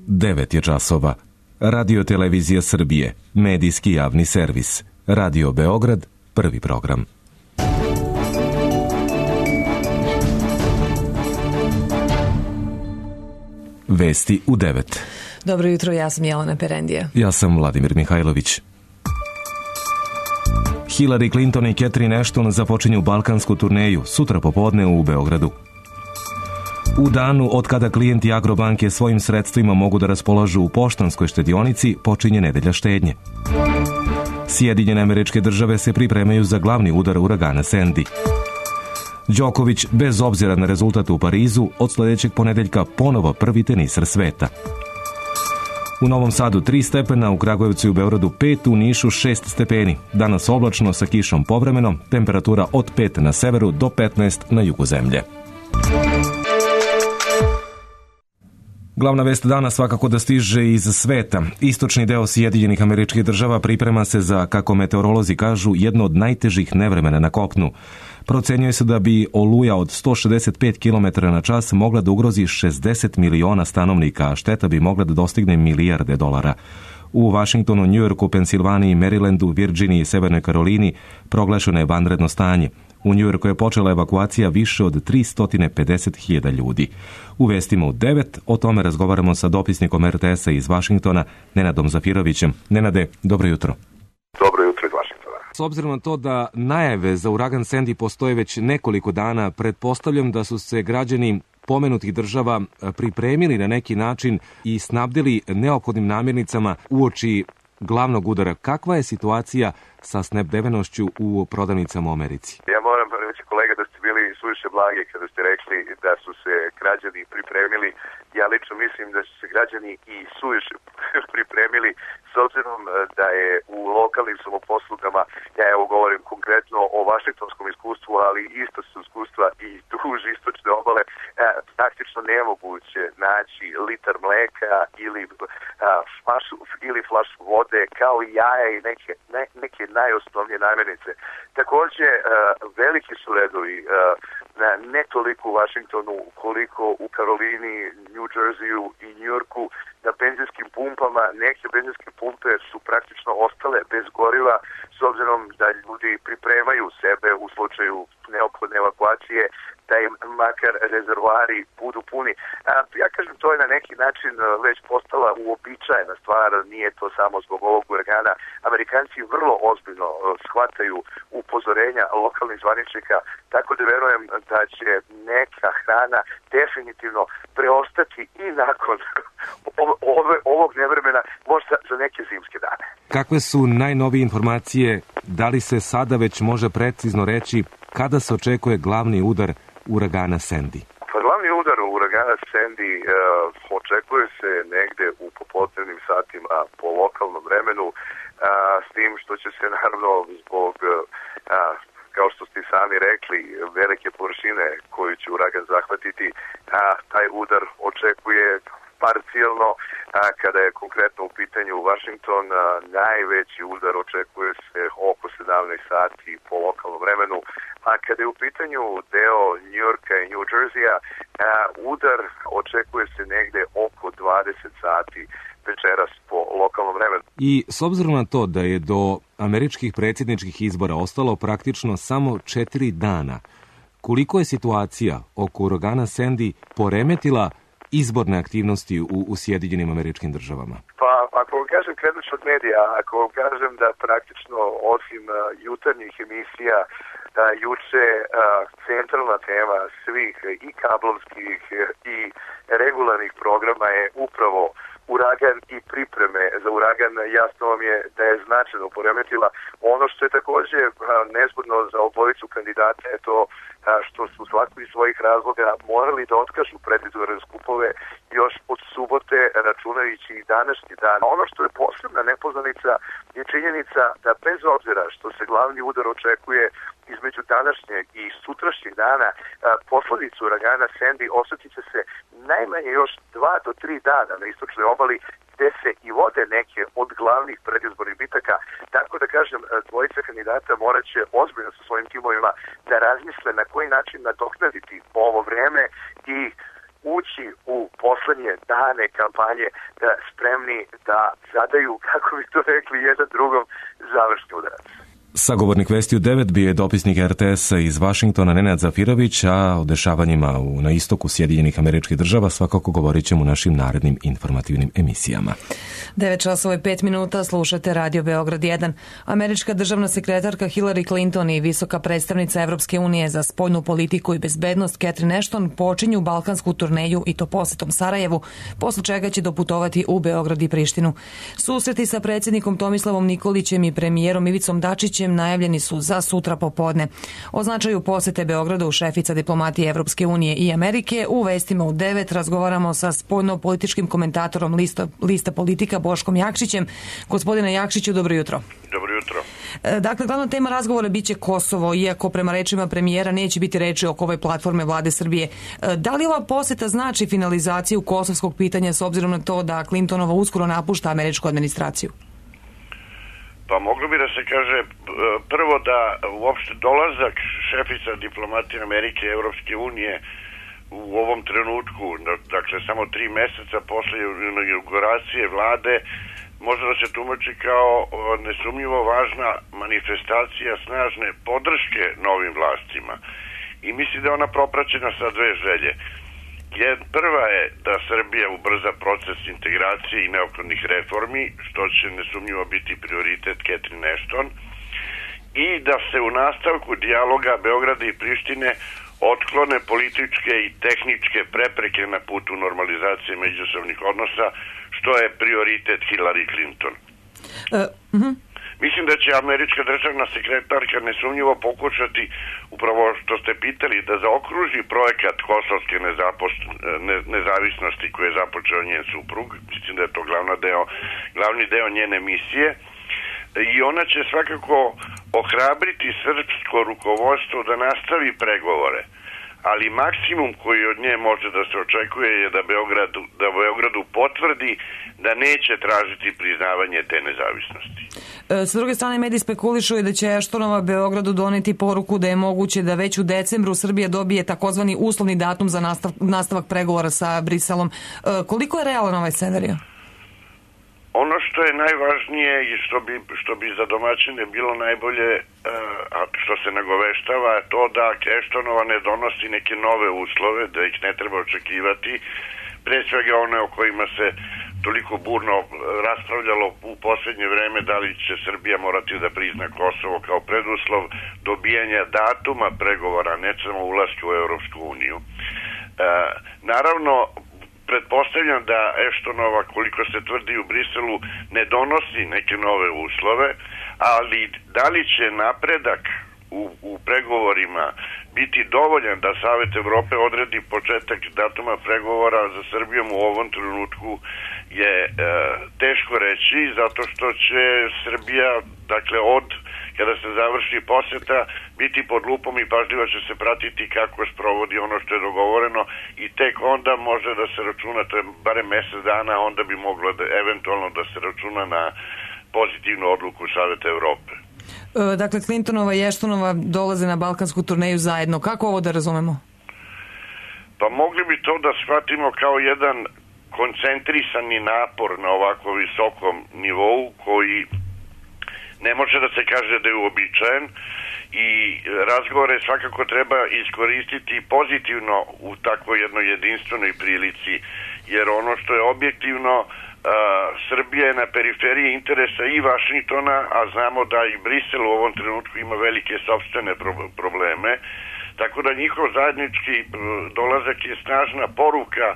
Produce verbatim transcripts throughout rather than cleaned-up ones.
devet je časova. Radio Televizija Srbije, medijski javni servis. Radio Beograd, prvi program. Vesti u devet. Dobro jutro, ja sam Jelena Perendija. Ja sam Vladimir Mihajlović. Hillary Clinton i Catherine Ashton započinju balkansku turneju sutra popodne u Beogradu. U danu od kada klijenti Agrobanke svojim sredstvima mogu da raspolažu u poštanskoj štedionici, počinje nedelja štednje. Sjedinjene Američke Države se pripremaju za glavni udar uragana Sandy. Đoković, bez obzira na rezultat u Parizu, od sledećeg ponedeljka ponovo prvi tenisar sveta. U Novom Sadu tri stepena, u Kragujevcu i u Beogradu pet, u Nišu šest stepeni. Danas oblačno sa kišom povremeno, temperatura od pet na severu do petnaest na jugu zemlje. Glavna vest dana svakako da stiže iz sveta. Istočni deo Sjedinjenih Američkih Država priprema se za, kako meteorolozi kažu, jedno od najtežih nevremena na kopnu. Procenjuje se da bi oluja od sto šezdeset pet kilometara na čas mogla da ugrozi šezdeset miliona stanovnika, a šteta bi mogla da dostigne milijarde dolara. U Vašingtonu, Njujorku, Pensilvaniji, Marylandu, Virginiji i Severnoj Karolini proglašeno je vanredno stanje. U Njujorku je počela evakuacija više od tristo pedeset hiljada ljudi. U vestima u devet o tome razgovaramo sa dopisnikom er te esa iz Vašingtona, Nenadom Zafirovićem. Nenade, dobro jutro. Dobro jutro iz Vašingtona. S obzirom na to da najave za uragan Sandy postoje već nekoliko dana, pretpostavljam da su se građani pomenutih država pripremili na neki način i snabdili neophodnim namirnicama uoči glavnog udara. Kakva je situacija sa snabdevenošću u prodavnicama u Americi? Ja moram reći, kolega, da ste bili suviše blagi kada ste rekli da su se građani pripremili. Ja lično mislim da su se građani i suviše pripremili, s obzirom da je u lokalnim samoposlugama, ja evo govorim konkretno o vašingtonskom iskustvu, ali isto su iskustva i duž istočne obale, praktično nemoguće naći litar mleka ili flašu, ili flašu vode, kao i jaja i neke, ne, neke najosnovnije namirnice. Takođe, veliki su redovi, ne toliko u Vašingtonu koliko u Karolini, New Jerseyu i New Yorku, na benzinskim pumpama. Neke benzinske pumpe su praktično ostale bez goriva, s obzirom da ljudi pripremaju sebe u slučaju neophodne evakuacije, da im makar rezervoari budu puni. A, ja kažem, to je na neki način već postala uobičajena stvar, nije to samo zbog ovog uragana. Amerikanci vrlo ozbiljno shvataju upozorenja lokalnih zvaničnika, tako da verujem da će neka hrana definitivno preostati i nakon ove, ovog nevremena, možda za neke zimske dane. Kakve su najnovije informacije? Da li se sada već može precizno reći kada se očekuje glavni udar uragana Sandy? Pa glavni udar uragana Sandy uh, očekuje se negde u popodnevnim satima po lokalnom vremenu, uh, s tim što će se naravno zbog, uh, kao što ste sami rekli, velike površine koju će uragan zahvatiti, uh, taj udar očekuje parcijalno, a kada je konkretno u pitanju Washington, a, najveći udar očekuje se oko sedamnaest sati po lokalnom vremenu, a kada je u pitanju deo New Yorka i New Jerseya, a, udar očekuje se negde oko dvadeset sati večeras po lokalnom vremenu. I s obzirom na to da je do američkih predsjedničkih izbora ostalo praktično samo četiri dana, koliko je situacija oko uragana Sandy poremetila izborne aktivnosti u, u Sjedinjenim Američkim Državama? Pa, ako vam kažem, krenut ću od medija, ako vam kažem da praktično osim uh, jutarnjih emisija, da juče uh, centralna tema svih i kablovskih i regularnih programa je upravo uragan i pripreme za uragan. Jasno vam je da je značajno poremetila. Ono što je takođe uh, nezgodno za obojicu kandidata je to uh, što su svako iz svojih razloga morali da otkažu predizborne skupove još od subote, računajući i današnji dan. Ono što je posebna nepoznanica je činjenica da bez obzira što se glavni udar očekuje između današnjeg i sutrašnjeg dana, posledicu uragana Sandy osjetit će se najmanje još dva do tri dana na istočnoj obali, gde se i vode neke od glavnih predizbornih bitaka. Tako da kažem, dvojica kandidata morat će ozbiljno sa svojim timovima da razmisle na koji način nadoknaditi ovo vreme i ući u poslednje dane kampanje da spremni da zadaju, kako bi to rekli, jedan drugom završni udarac. Sagovornik Vesti u devet bio je dopisnik er te es iz Vašingtona Nenad Zafirović, a o dešavanjima u, na istoku Sjedinjenih Američkih Država svakako govorit ćemo u našim narednim informativnim emisijama. devet časova i pet minuta, slušate Radio Beograd jedan. Američka državna sekretarka Hillary Clinton i visoka predstavnica Evropske unije za spoljnu politiku i bezbednost Catherine Ashton počinju balkansku turneju i to posetom Sarajevu, posle čega će doputovati u Beograd i Prištinu. Susreti sa predsjednikom Tomislavom Nikolićem i premijerom Ivicom Dačićem najavljeni su za sutra popodne. O značaju posete Beogradu šefica diplomatije Evropske unije i Amerike u vestima u devet razgovaramo sa spoljno-političkim komentatorom Lista, Lista Politika Boškom Jakšićem. Gospodine Jakšiću, dobro jutro. Dobro jutro. Dakle, glavna tema razgovora biće Kosovo, iako prema rečima premijera neće biti reči oko ove platforme vlade Srbije. Da li ova poseta znači finalizaciju kosovskog pitanja s obzirom na to da Clintonova uskoro napušta američku administraciju? Pa moglo bi da se kaže prvo da uopšte dolazak šefica diplomatije Amerike i Evropske unije u ovom trenutku, dakle samo tri meseca posle inauguracije vlade, može da se tumači kao nesumnjivo važna manifestacija snažne podrške novim vlastima. I mislim da je ona propraćena sa dve želje. Prva je da Srbija ubrza proces integracije i neophodnih reformi, što će nesumnjivo biti prioritet Catherine Ashton, i da se u nastavku dijaloga Beograda i Prištine otklone političke i tehničke prepreke na putu normalizacije međusobnih odnosa, što je prioritet Hillary Clinton. Uh, uh-huh. Mislim da će američka državna sekretarka nesumnjivo pokušati, upravo što ste pitali, da zaokruži projekat kosovske nezapost, ne, nezavisnosti koje je započeo njen suprug. Mislim da je to glavna deo, glavni deo njene misije. I ona će svakako ohrabriti srpsko rukovodstvo da nastavi pregovore. Ali maksimum koji od nje može da se očekuje je da Beogradu, da Beogradu potvrdi da neće tražiti priznavanje te nezavisnosti. S druge strane, mediji spekulišu i da će Ashtonova Beogradu doneti poruku da je moguće da već u decembru Srbija dobije takozvani uslovni datum za nastav, nastavak pregovora sa Briselom. Koliko je realan ovaj scenarij? Ono što je najvažnije i što bi, što bi za domaćine bilo najbolje, a što se nagoveštava, je to da Ashtonova ne donosi neke nove uslove, da ih ne treba očekivati, pre svega one o kojima se toliko burno raspravljalo u posljednje vreme, da li će Srbija morati da prizna Kosovo kao preduslov dobijanja datuma pregovora, ne samo ulaska u Evropsku uniju. E, naravno, pretpostavljam da Ashtonova, koliko se tvrdi u Briselu, ne donosi neke nove uslove, ali da li će napredak u, u pregovorima biti dovoljan da Savet Evrope odredi početak datuma pregovora za Srbijom u ovom trenutku je e, teško reći, zato što će Srbija, dakle od kada se završi poseta, biti pod lupom i pažljivo će se pratiti kako sprovodi ono što je dogovoreno i tek onda može da se računa, to je barem mesec dana, onda bi moglo da, eventualno da se računa na pozitivnu odluku Saveta Evrope. E, dakle, Clintonova i Ashtonova dolaze na balkansku turneju zajedno. Kako ovo da razumemo? Pa mogli bi to da shvatimo kao jedan koncentrisani napor na ovako visokom nivou koji ne može da se kaže da je uobičajen i razgovore svakako treba iskoristiti pozitivno u takvoj jednoj jedinstvenoj prilici, jer ono što je objektivno, uh, Srbija je na periferiji interesa i Vašingtona, a znamo da i Brisel u ovom trenutku ima velike sopstvene pro- probleme, tako da njihov zajednički dolazak je snažna poruka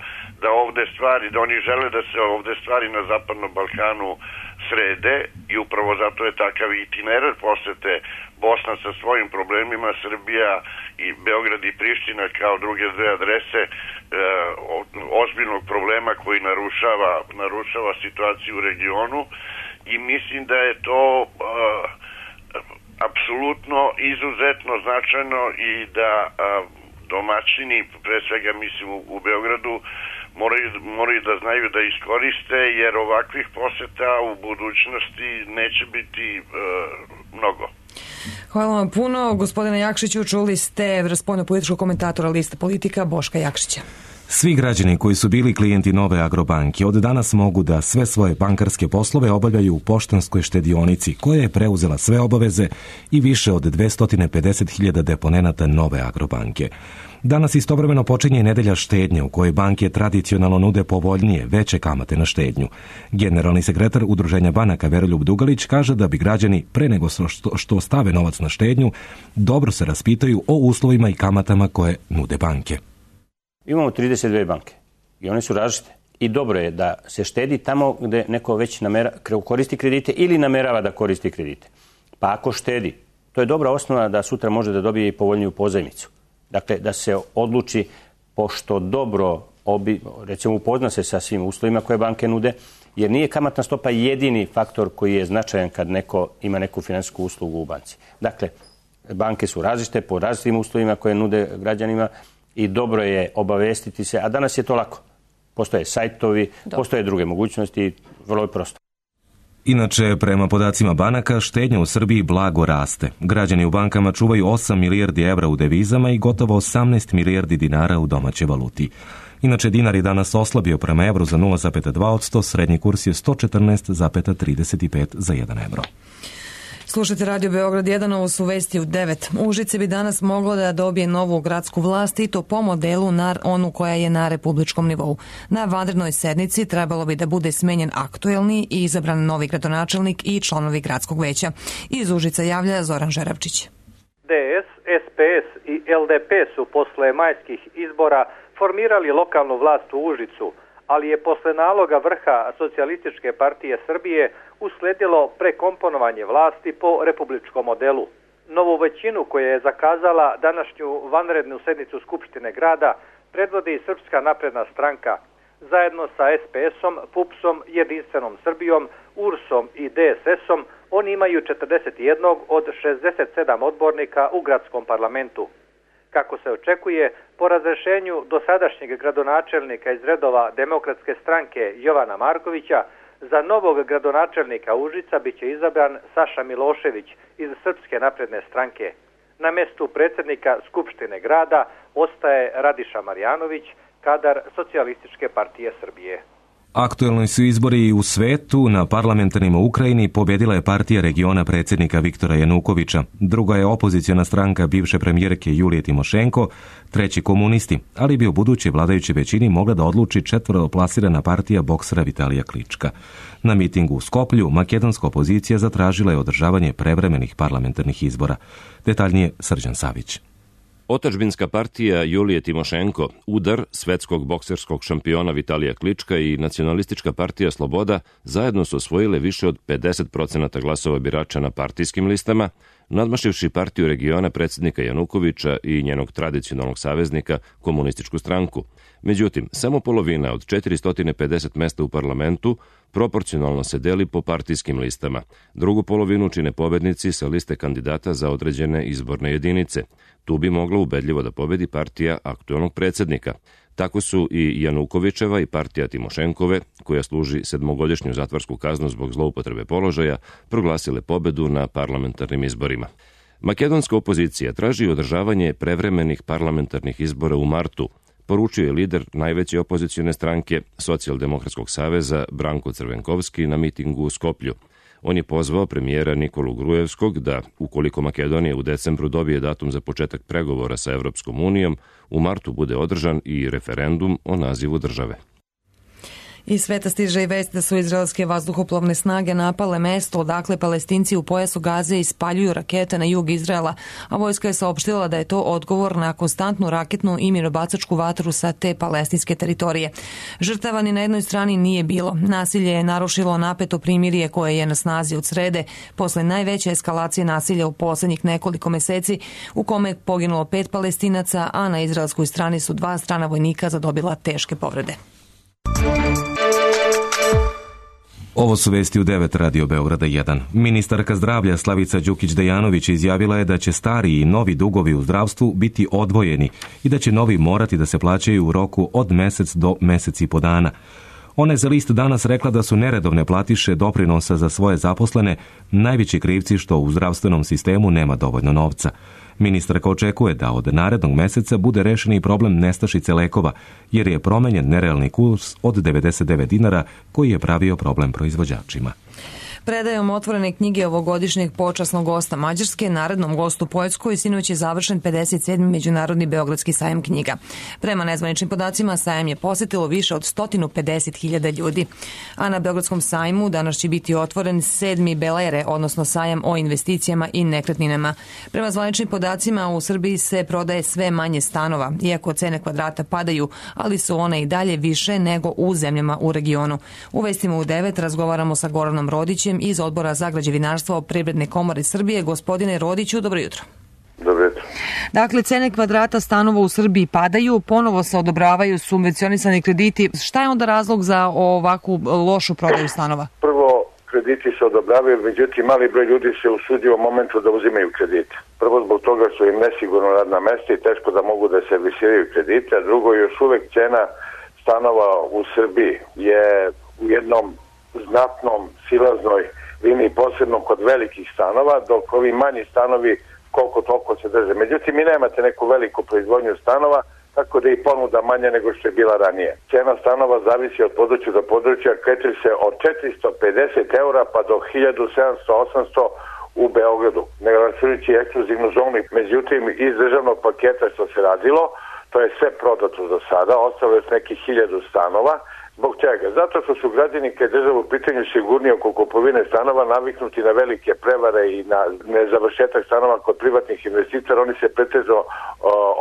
da ovde stvari, da oni žele da se ovde stvari na Zapadnom Balkanu srede i upravo zato je takav itinerar posete Bosna sa svojim problemima, Srbija i Beograd i Priština kao druge dve adrese e, ozbiljnog problema koji narušava, narušava situaciju u regionu i mislim da je to e, apsolutno izuzetno značajno i da a, domaćini, pre svega mislim u, u Beogradu, moraju, moraju da znaju da iskoriste, jer ovakvih poseta u budućnosti neće biti e, mnogo. Hvala vam puno. Gospodine Jakšiću, čuli ste spoljno-političkog komentatora Lista Politika Boška Jakšića. Svi građani koji su bili klijenti Nove Agrobanke od danas mogu da sve svoje bankarske poslove obavljaju u Poštanskoj štedionici, koja je preuzela sve obaveze i više od dvesta pedeset hiljada deponenata Nove Agrobanke. Danas istovremeno počinje i nedelja štednje u kojoj banke tradicionalno nude povoljnije, veće kamate na štednju. Generalni sekretar Udruženja banaka Veroljub Dugalić kaže da bi građani pre nego što, što stave novac na štednju dobro se raspitaju o uslovima i kamatama koje nude banke. Imamo trideset dve banke i one su različite. I dobro je da se štedi tamo gde neko već namera, koristi kredite ili namerava da koristi kredite. Pa ako štedi, to je dobra osnova da sutra može da dobije i povoljniju pozajmicu. Dakle, da se odluči, pošto dobro, obi, recimo upozna se sa svim uslovima koje banke nude, jer nije kamatna stopa jedini faktor koji je značajan kad neko ima neku finansijsku uslugu u banci. Dakle, banke su različite po različitim uslovima koje nude građanima i dobro je obavestiti se, a danas je to lako. Postoje sajtovi, dobro. Postoje druge mogućnosti, vrlo je prosto. Inače, prema podacima banaka, štednja u Srbiji blago raste. Građani u bankama čuvaju osam milijardi evra u devizama i gotovo osamnaest milijardi dinara u domaćoj valuti. Inače, dinar je danas oslabio prema evru za nula zarez dva posto, srednji kurs je sto četrnaest zarez trideset pet za jedan evro. Slušajte Radio Beograd jedan, ovo su vesti u devet. Užice bi danas moglo da dobije novu gradsku vlast i to po modelu na onu koja je na republičkom nivou. Na vanrednoj sednici trebalo bi da bude smenjen aktuelni i izabran novi gradonačelnik i članovi gradskog veća. Iz Užica javlja Zoran Žerabčić. D S, S P S i L D P su posle majskih izbora formirali lokalnu vlast u Užicu, ali je posle naloga vrha Socijalističke partije Srbije usledilo prekomponovanje vlasti po republičkom modelu. Novu većinu koja je zakazala današnju vanrednu sednicu Skupštine grada predvodi Srpska napredna stranka. Zajedno sa S P S-om, P U P S-om, Jedinstvenom Srbijom, U R S-om i D S S-om oni imaju četrdeset jedan od šezdeset sedam odbornika u gradskom parlamentu. Kako se očekuje, po razrešenju dosadašnjeg gradonačelnika iz redova Demokratske stranke Jovana Markovića, za novog gradonačelnika Užica biće izabran Saša Milošević iz Srpske napredne stranke. Na mestu predsjednika Skupštine grada ostaje Radiša Marjanović, kadar Socijalističke partije Srbije. Aktuelni su izbori i u svetu. Na parlamentarnima u Ukrajini pobjedila je partija regiona predsjednika Viktora Janukovića. Druga je opoziciona stranka bivše premijerke Julije Timošenko, treći komunisti, ali bi u budućoj vladajućoj većini mogla da odluči četvrtoplasirana partija boksera Vitalija Klička. Na mitingu u Skoplju makedonska opozicija zatražila je održavanje prevremenih parlamentarnih izbora. Detaljnije Srđan Savić. Otadžbinska partija Julije Timošenko, Udar, svetskog bokserskog šampiona Vitalija Klička i Nacionalistička partija Sloboda zajedno su osvojile više od pedeset procenata glasova birača na partijskim listama, nadmašivši partiju regiona predsjednika Janukovića i njenog tradicionalnog saveznika, Komunističku stranku. Međutim, samo polovina od četiristo pedeset mesta u parlamentu proporcionalno se deli po partijskim listama. Drugu polovinu čine pobednici sa liste kandidata za određene izborne jedinice. Tu bi mogla ubedljivo da pobedi partija aktuelnog predsjednika. Tako su i Janukovićeva i partija Timošenkove, koja služi sedmogodišnju zatvorsku kaznu zbog zloupotrebe položaja, proglasile pobedu na parlamentarnim izborima. Makedonska opozicija traži održavanje prevremenih parlamentarnih izbora u martu, poručio je lider najveće opozicione stranke Socijaldemokratskog saveza Branko Crvenkovski na mitingu u Skoplju. On je pozvao premijera Nikolu Grujevskog da, ukoliko Makedonija u decembru dobije datum za početak pregovora sa Evropskom unijom, u martu bude održan i referendum o nazivu države. Iz sveta stiže i vest da su izraelske vazduhoplovne snage napale mesto odakle Palestinci u pojasu Gaze ispaljuju rakete na jug Izraela, a vojska je saopštila da je to odgovor na konstantnu raketnu i minobacačku vatru sa te palestinske teritorije. Žrtava ni na jednoj strani nije bilo. Nasilje je narušilo napeto primirje koje je na snazi od srede, posle najveće eskalacije nasilja u poslednjih nekoliko meseci, u kome je poginulo pet Palestinaca, a na izraelskoj strani su dva strana vojnika zadobila teške povrede. Ovo su vesti u devet Radio Beograda jedan. Ministarka zdravlja Slavica Đukić-Dejanović izjavila je da će stari i novi dugovi u zdravstvu biti odvojeni i da će novi morati da se plaćaju u roku od mesec do mesec i po dana. Ona je za list danas rekla da su neredovne platiše doprinosa za svoje zaposlene najveći krivci što u zdravstvenom sistemu nema dovoljno novca. Ministarka očekuje da od narednog meseca bude rešen i problem nestašice lekova, jer je promenjen nerealni kurs od devedeset devet dinara koji je pravio problem proizvođačima. Predajom otvorene knjige ovogodišnjeg počasnog gosta Mađarske, narednom gostu Poljskoj, sinoć je završen pedeset sedmi Međunarodni Beogradski sajam knjiga. Prema nezvaničnim podacima, sajam je posetilo više od sto pedeset hiljada ljudi. A na Beogradskom sajmu danas će biti otvoren sedmi Belere, odnosno sajam o investicijama i nekretninama. Prema zvaničnim podacima, u Srbiji se prodaje sve manje stanova, iako cene kvadrata padaju, ali su one i dalje više nego u zemljama u regionu. U Vestima u devet razgovaramo sa Goranom Rodićem iz Odbora za građevinarstvo Privredne komore Srbije. Gospodine Rodiću, dobro jutro. Dobro jutro. Dakle, cene kvadrata stanova u Srbiji padaju, ponovo se odobravaju subvencionisani krediti. Šta je onda razlog za ovakvu lošu prodaju stanova? Prvo, krediti se odobravaju, međutim, mali broj ljudi se usudio u momentu da uzimaju kredite. Prvo, zbog toga su im nesigurno radna mesta i teško da mogu da servisiraju kredite, a drugo, još uvek cena stanova u Srbiji je u jednom znatnom silaznoj liniji, posebno kod velikih stanova, dok ovi manji stanovi koliko toliko se drže. Međutim, mi nemate neku veliku proizvodnju stanova, tako da je i ponuda manja nego što je bila ranije. Cena stanova zavisi od područja do područja, kreće se od četiristo pedeset eura pa do hiljadu sedamsto do osamsto u Beogradu, ne računajući ekskluzivnu zonu. Međutim, iz državnog paketa što se radilo, to je sve prodato za sada, ostalo je nekih hiljadu stanova. Zbog čega? Zato što su građani kad je država u pitanju sigurnije oko kupovine stanova naviknuti na velike prevare i na nezavršetak stanova kod privatnih investitora, oni se pretežno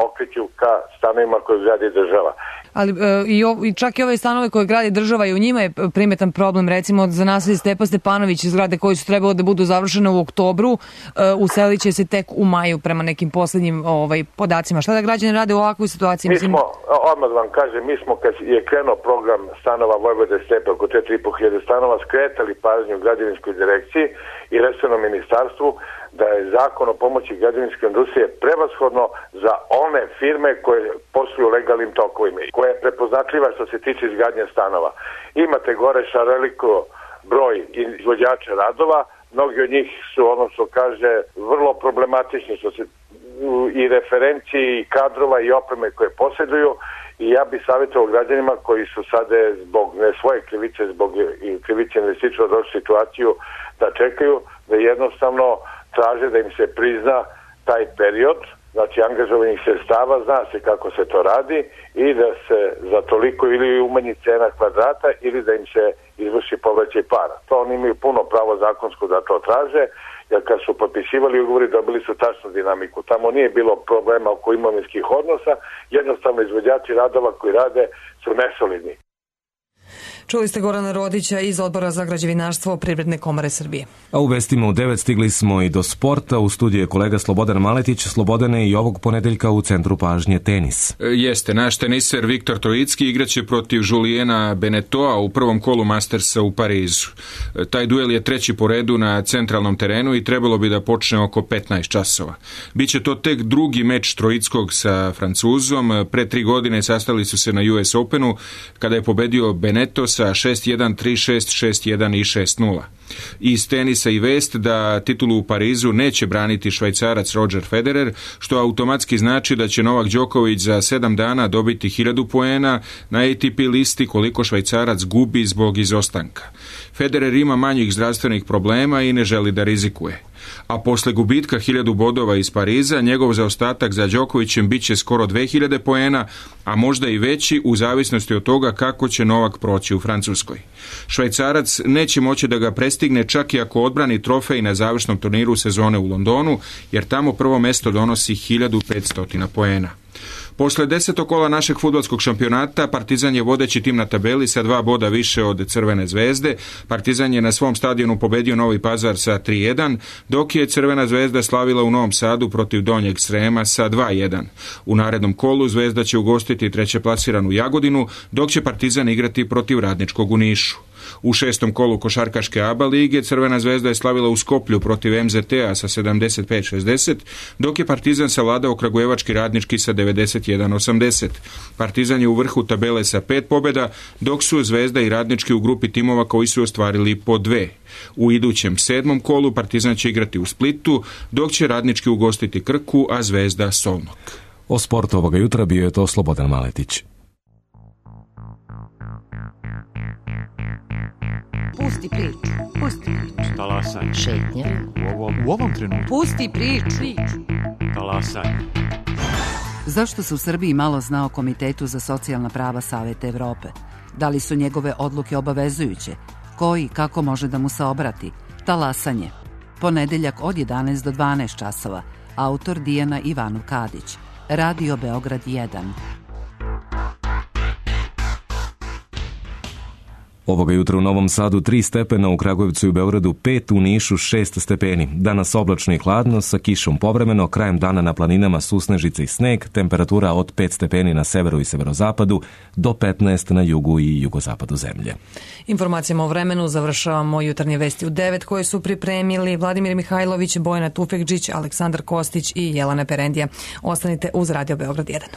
okreću ka stanovima koje gradi država. Ali e, i, o, i čak i ove stanove koje gradi država i u njima je primetan problem, recimo za naselje Stepa Stepanović, zgrade koje su trebalo da budu završene u oktobru, e, uselit će se tek u maju prema nekim poslednjim ovaj, podacima. Šta da građani rade u ovakvoj situaciji? Mi smo, odmah vam kažem, mi smo kad je krenuo program stanova Vojvode Stepe, oko četiri i po hiljade stanova, skretali pažnju građevinskoj direkciji i resornom ministarstvu da je zakon o pomoći građevinske industrije prevashodno za one firme koje posluju legalnim tokovima, koja je prepoznatljiva što se tiče izgradnje stanova. Imate gore šareliko broj izvođača radova, mnogi od njih su, ono što kaže, vrlo problematični što se i referenciji i kadrova i opreme koje posjeduju, i ja bih savjetovao građanima koji su sada zbog ne svoje krivice, zbog krivice investitora došli situaciju da čekaju, da jednostavno traže da im se prizna taj period, znači angažovanih sredstava, zna se kako se to radi, i da se za toliko ili umanji cena kvadrata ili da im se izvrši povraćaj para. To oni imaju puno pravo zakonsko da to traže, jer kad su potpisivali ugovori dobili su tačnu dinamiku. Tamo nije bilo problema oko imovinskih odnosa, jednostavno izvođači radova koji rade su nesolidni. Čuli ste Gorana Rodića iz Odbora za građevinarstvo Privredne komore Srbije. A u vestima u devet stigli smo i do sporta. U studiju je kolega Slobodan Maletić. Slobodane, i ovog ponedeljka u centru pažnje tenis. Jeste, naš teniser Viktor Trojicki igraće protiv Juliena Benetoa u prvom kolu Mastersa u Parizu. Taj duel je treći po redu na centralnom terenu i trebalo bi da počne oko petnaest časova. Biće to tek drugi meč Trojickog sa Francuzom. Pre tri godine sastali su se na U S Openu kada je pobedio Beneto sa šest jedan, tri šest, šest jedan i šest nula. Iz tenisa i vest da titulu u Parizu neće braniti Švajcarac Roger Federer, što automatski znači da će Novak Đoković za sedam dana dobiti hiljadu poena na A T P listi koliko Švajcarac gubi zbog izostanka. Federer ima manjih zdravstvenih problema i ne želi da rizikuje. A posle gubitka hiljadu bodova iz Pariza, njegov zaostatak za Đokovićem bit će skoro dve hiljade poena, a možda i veći u zavisnosti od toga kako će Novak proći u Francuskoj. Švajcarac neće moći da ga prestigne čak i ako odbrani trofej na završnom turniru sezone u Londonu, jer tamo prvo mesto donosi hiljadu petsto poena. Posle desetog kola našeg fudbalskog šampionata, Partizan je vodeći tim na tabeli sa dva boda više od Crvene zvezde. Partizan je na svom stadionu pobedio Novi Pazar sa tri jedan, dok je Crvena zvezda slavila u Novom Sadu protiv Donjeg Srema sa dva jedan. U narednom kolu Zvezda će ugostiti treće plasiranu Jagodinu, dok će Partizan igrati protiv Radničkog u Nišu. U šestom kolu košarkaške A B A lige Crvena zvezda je slavila u Skoplju protiv M Z T-a sa sedamdeset pet šezdeset, dok je Partizan savladao Kragujevački Radnički sa devedeset jedan osamdeset. Partizan je u vrhu tabele sa pet pobjeda, dok su Zvezda i Radnički u grupi timova koji su ostvarili po dve. U idućem sedmom kolu Partizan će igrati u Splitu, dok će Radnički ugostiti Krku, a Zvezda Solnog. O sportu ovoga jutra bio je to Slobodan Maletić. Pusti priču, pusti priču. Talasaj. Šetnja. U ovom, u ovom trenutku. Pusti priču. Talasaj. Zašto se u Srbiji malo zna o Komitetu za socijalna prava Saveta Evrope? Da li su njegove odluke obavezujuće? Ko i kako može da mu se obrati? Talasanje. Ponedeljak od jedanaest do dvanaest časova. Autor Dijana Ivanov Kadić. Radio Beograd jedan. Ovoga jutra u Novom Sadu tri stepena, u Kragujevcu i u Beogradu pet, u Nišu šest stepeni. Danas oblačno i hladno, sa kišom povremeno, krajem dana na planinama susnežice i sneg, temperatura od pet stepeni na severu i severozapadu do petnaest na jugu i jugozapadu zemlje. Informacijama o vremenu završavamo jutarnje vesti u devet koje su pripremili Vladimir Mihajlović, Bojana Tufekđić, Aleksandar Kostić i Jelena Perendija. Ostanite uz Radio Beograd jedan.